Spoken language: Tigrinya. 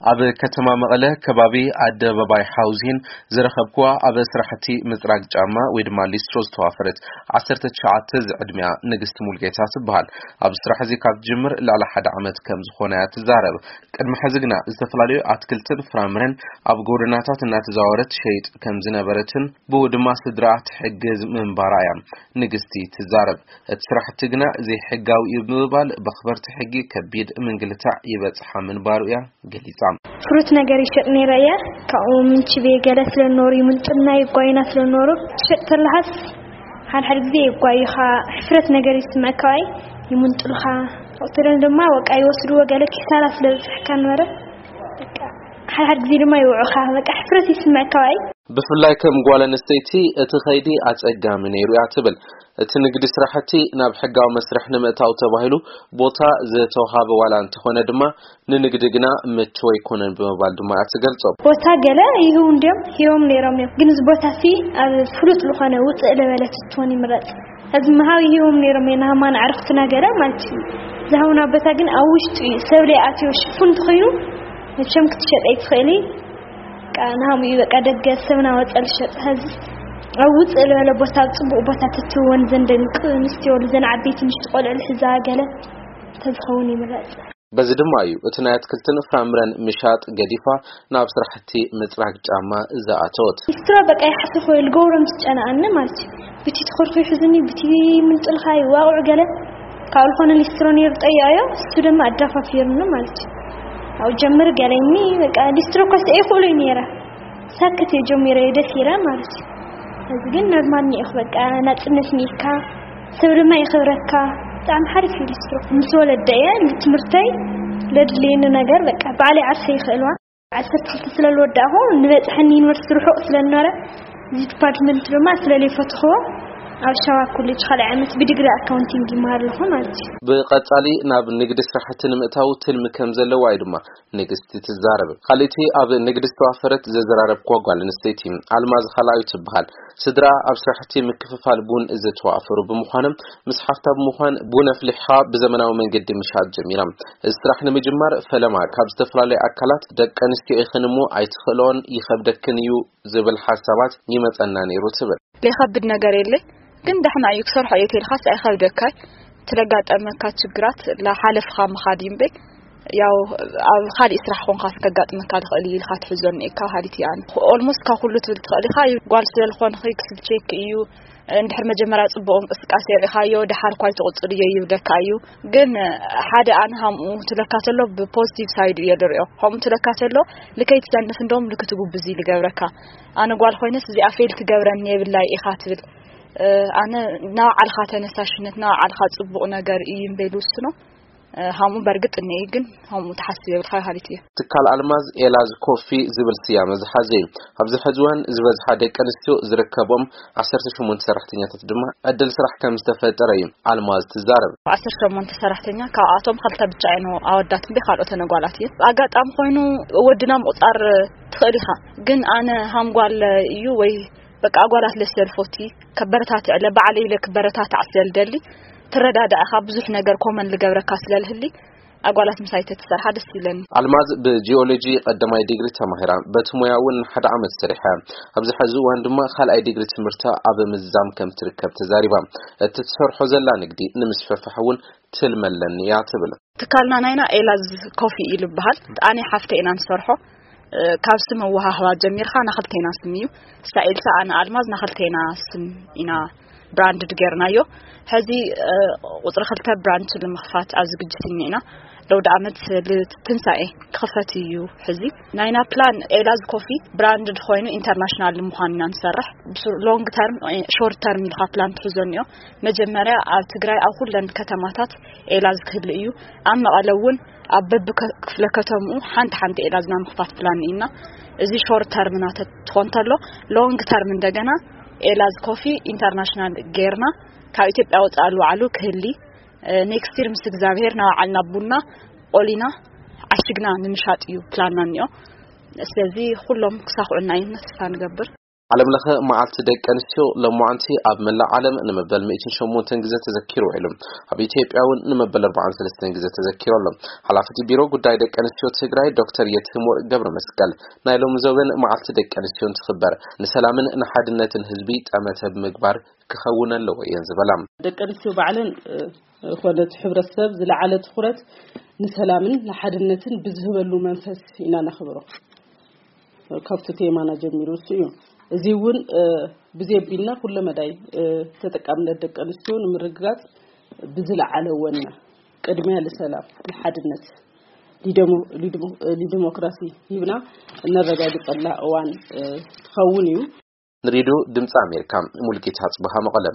ኣብ ከተማ መቐለ ከባቢ ኣደባባይ ሓውዜን ዝረኸብኩዋ ኣብ ስራሕቲ ምፅራግ ጫማ ወይ ድማ ሊስትሮ ዝተዋፈረት ዓሰርተ ትሽዓተ ዝዕድሚያ ንግስቲ ሙልጌታ ትበሃል። ኣብ ስራሕ እዚ ካብ ትጅምር ልዕሊ ሓደ ዓመት ከም ዝኾነ እያ ትዛረብ። ቅድሚ ሕዚ ግና ዝተፈላለዩ ኣትክልትን ፍራምረን ኣብ ጎደናታት እናተዛወረት ትሸይጥ ከም ዝነበረትን ብኡ ድማ ስድራኣ ትሕግዝ ምንባራ እያ ንግስቲ ትዛረብ። እቲ ስራሕቲ ግና ዘይሕጋዊ እዩ ብምባል በኽበርቲ ሕጊ ከቢድ ምንግልታዕ ይበፅሓ ምንባሩ እያ ገሊጻ። ፍሩት ነገር ይሸጥ ነይረ እየ። ካብኡ ምንችቤ ገለ ስለኖሩ ይምንጥልና ይጓይና ስለኖሩ ትሸጥ ተለሃስ ሓደ ሓደ ግዜ ይጓዩኻ። ሕፍረት ነገር ይስምዐካ ዋይ ይምንጥሉኻ። ወትረን ድማ በቃ ይወስድዎ ገለ ኪሳራ ስለ ዝበፅሐካ ነበረ። በቃ ሓደ ሓደ ግዜ ድማ ይውዑኻ። በቃ ሕፍረት ይስምዐካ ዋይ። ብፍላይ ከም ጓል ኣንስተይቲ እቲ ኸይዲ ኣጸጋሚ ነይሩ እያ ትብል። እቲ ንግዲ ስራሕቲ ናብ ሕጋዊ መስርሕ ንምእታው ተባሂሉ ቦታ ዝተዋሃበ ዋላ እንተኾነ ድማ ንንግዲ ግና ምቹው ኣይኮነን ብምባል ድማ እያ ትገልጾ። ቦታ ገለ ይህቡ እንዲዮም ሂቦም ነይሮም እዮም፣ ግን እዚ ቦታ ሲ ኣብ ፍሉጥ ዝኾነ ውፅእ ለበለ ትትውን ይምረፅ። እዚ ምሃብ ይህቦም ነይሮም እዮም ናማን ዕርክትና ገለ ማለት እዩ። ዝሃቡና ቦታ ግን ኣብ ውሽጡ እዩ፣ ሰብ ለይኣትዮ ሽፉን እንተኾይኑ መቸም ክትሸጠ ኣይትኽእሊ። በቃ ንሃሙ እዩ በቃ ደገ ሰብ ናወፀ ልሸጥ። ሀዚ ኣብ ውፅእ ዝበለ ቦታ ኣብ ፅቡቕ ቦታ ትትወን ዘን ደቂ ኣንስትዮ ዘን ዓበይቲ ምሽቲ ቆልዑ ልሕዛ ገለ ተዝኸውን ይምረፅ። በዚ ድማ እዩ እቲ ናይ ኣትክልትን ፍራምረን ምሻጥ ገዲፋ ናብ ስራሕቲ ምፅራግ ጫማ ዝኣተወት። ሊስትሮ በቃ ይሓስብ ወይ ልገብሮም ዝጨነኣኒ ማለት እዩ። ብቲ ትኾርኹ ይሕዝኒ ብቲ ምንጥልኻ ይዋቕዑ ገለ ካብ ዝኾነ ሊስትሮ ነይሩ ጠያዮ እሱ ድማ ኣዳፋፊርኒ ማለት እዩ። ኣብ ጀምር ገለኒ በቃ ሊስትሮ ኮስ ይኽእሉ ነይረ ሳክት እየ ጀሚረ እየ ደስ ኢለ ማለት እዩ። እዚ ግን ኖርማል ኒኢኽ በቃ ናጽነት ኒኢካ ሰብ ድማ የኽብረካ። ብጣዕሚ ሓሪፍ እዩ ሊስትሮ ምስ ወለደ እየ ንትምህርተይ ለድልየኒ ነገር በቃ ባዕለይ ዓርሰ ይኽእልዋ። ዓሰርተ ክልተ ስለ ዝወዳእኹ ንበፅሐኒ ዩኒቨርሲቲ ርሑቕ ስለ ዝነበረ እዚ ዲፓርትመንት ድማ ስለ ዘይፈትኽዎ ኣብ ሸዋ ኮሌጅ ካልኣይ ዓመት ብዲግሪ ኣካውንቲንግ ይመሃር ኣለኹ ማለት እዩ። ብቐጻሊ ናብ ንግዲ ስራሕቲ ንምእታው ትልሚ ከም ዘለዋ እዩ ድማ ንግስቲ ትዛረብ። ካልእቲ ኣብ ንግዲ ዝተዋፈረት ዘዘራረብክዋ ጓል ኣንስተይቲ ኣልማዝ ካልኣዩ ትበሃል። ስድራ ኣብ ስራሕቲ ምክፍፋል ቡን ዝተዋፈሩ ብምዃኖም ምስ ሓፍታ ብምዃን ቡን ኣፍሊሕኻ ብዘመናዊ መንገዲ ምሻጥ ጀሚራ። እዚ ስራሕ ንምጅማር ፈለማ ካብ ዝተፈላለዩ ኣካላት ደቂ ኣንስትዮ ኢኽን እሞ ኣይትኽእሎን ይኸብደክን እዩ ዝብል ሓሳባት ይመጸና ነይሩ ትብል። ዘይኸብድ ነገር የለ፣ ግን ደሕና እዩ ክሰርሖ እየ ተልካስ ኣይኸብደካይ። ትለጋጠመካ ችግራት ላሓለፍኻ ምኻድ እዩ እምበይ ያው ኣብ ካልእ ስራሕ ኾንካ ከጋጥመካ ልኽእል እዩ ኢልካ ትሕዞ እኒኤካ ሃዲት እያ። ኦልሞስት ካብ ኩሉ ትብል ትኽእል ኢኻ። ጓል ስለ ዝኾንኺ ክስብ ቼክ እዩ። እንድሕር መጀመርያ ጽቡቕ እንቅስቃሴ ርኢኻዮ ደሓር ኳይ ትቕጽልዮ ይብለካ እዩ። ግን ሓደ ኣነ ሃምኡ ትለካ ተሎ ብፖዚቲቭ ሳይድ እየ ዝሪኦ። ከምኡ ትለካ ተሎ ልከይ ትሰንፍ እንደውም ልክትጉብዝ እዩ ልገብረካ። ኣነ ጓል ኮይነስ እዚኣ ፌል ትገብረኒ የብላይ ኢኻ ትብል። ኣነ ናባዕልኻ ተነሳሽነት ናባዕልኻ ጽቡቕ ነገር እዩ እምበይ ልውስኖ። ሃምኡ በርግጥ እኒኤ ግን ሃምኡ ትሓስብ የብልካ ሃሊት እየ። ትካል ኣልማዝ ኤላዝ ኮፊ ዝብል ስያመ ዝሓዘ እዩ። ኣብዚ ሕዚ እዋን ዝበዝሓ ደቂ ኣንስትዮ ዝርከቦም ዓሰርተ ሸሞንተ ሰራሕተኛታት ድማ ዕድል ስራሕ ከም ዝተፈጠረ እዩ ኣልማዝ ትዛረብ። ዓሰርተ ሸሞንተ ሰራሕተኛ ካብኣቶም ክልተ ብቻ እየን ኣወዳት እምበይ ካልኦተን ኣጓላት እየን። ኣጋጣሚ ኮይኑ ወድና ምቑጻር ትኽእል ኢኻ፣ ግን ኣነ ሃምጓል እዩ ወይ በቃ ኣጓላት ለስለልፎቲ ከበረታትዕ ለ ባዕለ ኢለ ክበረታታዕ ስለልደሊ ትረዳዳእኻ ብዙሕ ነገር ኮመን ልገብረካ ስለልህሊ ኣጓላት ምሳይ ተትሰርሓ ደስ ይብለኒ። ኣልማዝ ብጂኦሎጂ ቀዳማይ ዲግሪ ተማሂራ በቲ ሞያ እውን ሓደ ዓመት ሰሪሐ ኣብዚ ሕዚ እዋን ድማ ካልኣይ ዲግሪ ትምህርታ ኣብ ምዛም ከም ትርከብ ተዛሪባ። እቲ ትሰርሖ ዘላ ንግዲ ንምስፍሕፋሕ እውን ትልመለኒ እያ ትብል። ትካልና ናይና ኤላዝ ኮፊ እዩ ዝበሃል። ኣነ ሓፍተ ኢና ንሰርሖ። ካብ ስም ኣወሃህባ ጀሚርካ ናክልቴና ስም እዩ። እሳ ኤልሳ ኣነ ኣልማዝ ናክልቴና ስም ኢና ብራንድድ ጌርናዮ። ሕዚ ቁፅሪ ክልተ ብራንች ንምኽፋት ኣብ ዝግጅት እኒና። ለውዲ ዓመት ልትንሳኤ ክኽፈት እዩ። ሕዚ ናይና ፕላን ኤላዝ ኮፊ ብራንድድ ኮይኑ ኢንተርናሽናል ንምዃን ኢና ንሰርሕ። ሎንግ ተርም ሾርት ተርም ኢልካ ፕላን ትሕዞ እኒኦ። መጀመርያ ኣብ ትግራይ ኣብ ኩለን ከተማታት ኤላዝ ክህሉ እዩ። ኣብ መቐለ እውን ኣብ በቢ ክፍለ ከተምኡ ሓንቲ ሓንቲ ኤላዝና ምኽፋት ፕላን ኢና። እዚ ሾርት ተርምና ትኾን ተሎ ሎንግ ተርም እንደገና ኤላዝ ኮፊ ኢንተርናሽናል ጌርና ካብ ኢትዮጵያ ወፃእ ልዋዕሉ ክህሊ ኔክስት ይር ምስ እግዚኣብሔር ናባዓልና ቡና ቆሊና ዓሽግና ንምሻጥ እዩ ፕላንና እኒኦ። ስለዚ ኩሎም ክሳኽዑና እዩ ተስፋ ንገብር። ዓለም ለኸ መዓልቲ ደቂ ኣንስትዮ ሎማዓንቲ ኣብ መላእ ዓለም ንመበል ሚእትን ሸሞንተን ግዜ ተዘኪሩ ውዒሉ። ኣብ ኢትዮጵያ እውን ንመበል ኣርባዓን ሰለስተን ግዜ ተዘኪሩ ኣሎ። ሓላፊ እቲ ቢሮ ጉዳይ ደቂ ኣንስትዮ ትግራይ ዶክተር የትህሞር ገብረ መስቀል ናይ ሎሚ ዘበን መዓልቲ ደቂ ኣንስትዮ እንትኽበር ንሰላምን ንሓድነትን ህዝቢ ጠመተ ብምግባር ክኸውን ኣለዎ እየን ዝበላ። ደቂ ኣንስትዮ ባዕለን ኮነ እቲ ሕብረተሰብ ዝለዓለ ትኹረት ንሰላምን ንሓድነትን ብዝህበሉ መንፈስ ኢና ነኽብሮ። ካብቲ ቴማና ጀሚሩ እሱ እዩ። እዚ እውን ብዘየቢልና ኩለ መዳይ ተጠቃምነት ደቂ ኣንስትዮ ንምርግጋፅ ብዝለዓለ ወነ ቅድሚያ ንሰላም፣ ንሓድነት፣ ንዲሞክራሲ ሂብና እነረጋግፀላ እዋን ትኸውን እዩ። ንሬድዮ ድምፂ ኣሜሪካ ሙልጌታ ጽበሃ መቐለ።